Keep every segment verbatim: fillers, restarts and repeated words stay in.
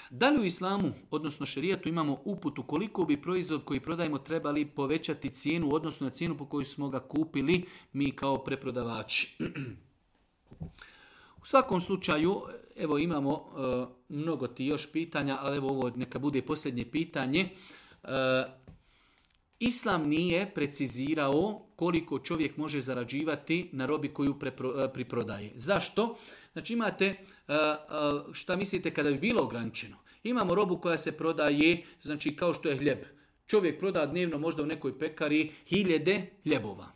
Da li u islamu, odnosno šerijatu, imamo uputu koliko bi proizvod koji prodajemo trebali povećati cijenu, odnosno na cijenu po kojoj smo ga kupili mi kao preprodavači? U svakom slučaju, evo imamo uh, mnogo ti još pitanja, ali evo ovo neka bude posljednje pitanje. Uh, Islam nije precizirao koliko čovjek može zarađivati na robi koju prepro, priprodaje. Zašto? Znači imate, šta mislite kada bi bilo ograničeno? Imamo robu koja se prodaje, znači kao što je hljeb. Čovjek proda dnevno možda u nekoj pekari hiljede hljebova.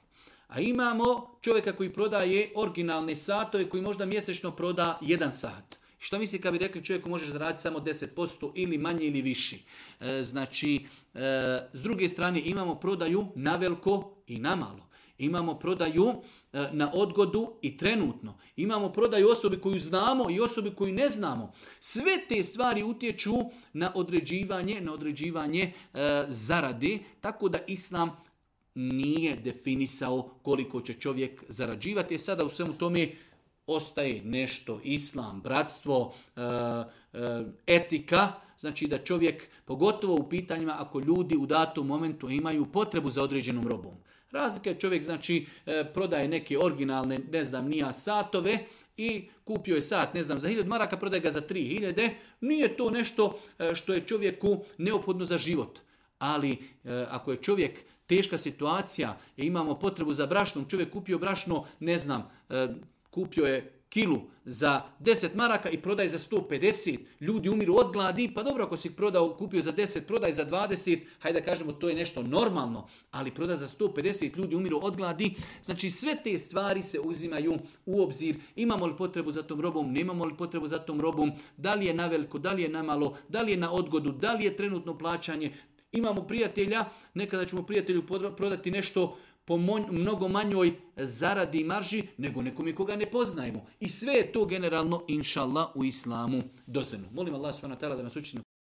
A imamo čovjeka koji prodaje originalne satove koji možda mjesečno proda jedan sat. Šta misli kad bi rekli čovjeku možeš zaraditi samo deset posto ili manje ili viši? E, znači, e, s druge strane imamo prodaju na veliko i na malo. Imamo prodaju e, na odgodu i trenutno. Imamo prodaju osobi koju znamo i osobi koju ne znamo. Sve te stvari utječu na određivanje, na određivanje e, zarade, tako da Islam nije definisao koliko će čovjek zarađivati. E sada u svemu tome ostaje nešto, islam, bratstvo, etika, znači da čovjek, pogotovo u pitanjima ako ljudi u datom momentu imaju potrebu za određenom robom. Razlika je čovjek, znači, prodaje neke originalne, ne znam, nija satove i kupio je sat, ne znam, za hiljadu maraka, prodaje ga za tri hiljade. Nije to nešto što je čovjeku neophodno za život. Ali ako je čovjek teška situacija i imamo potrebu za brašnom, čovjek kupio brašno, ne znam, kupio je kilu za deset maraka i prodaje za sto pedeset. Ljudi umiru od gladi, pa dobro ako si prodao, kupio za deset, prodaj za dvadeset, hajde da kažemo to je nešto normalno, ali prodaj za sto pedeset, ljudi umiru od gladi. Znači sve te stvari se uzimaju u obzir. Imamo li potrebu za tom robom, nemamo li potrebu za tom robom, da li je na veliko, da li je na malo, da li je na odgodu, da li je trenutno plaćanje. Imamo prijatelja, nekada ćemo prijatelju prodati nešto po mnogo manjoj zaradi i marži nego nekome koga ne poznajemo. I sve je to generalno, inša Allah, u islamu dozvoljeno. Molim Allah subhanahu wa ta'ala da nas učini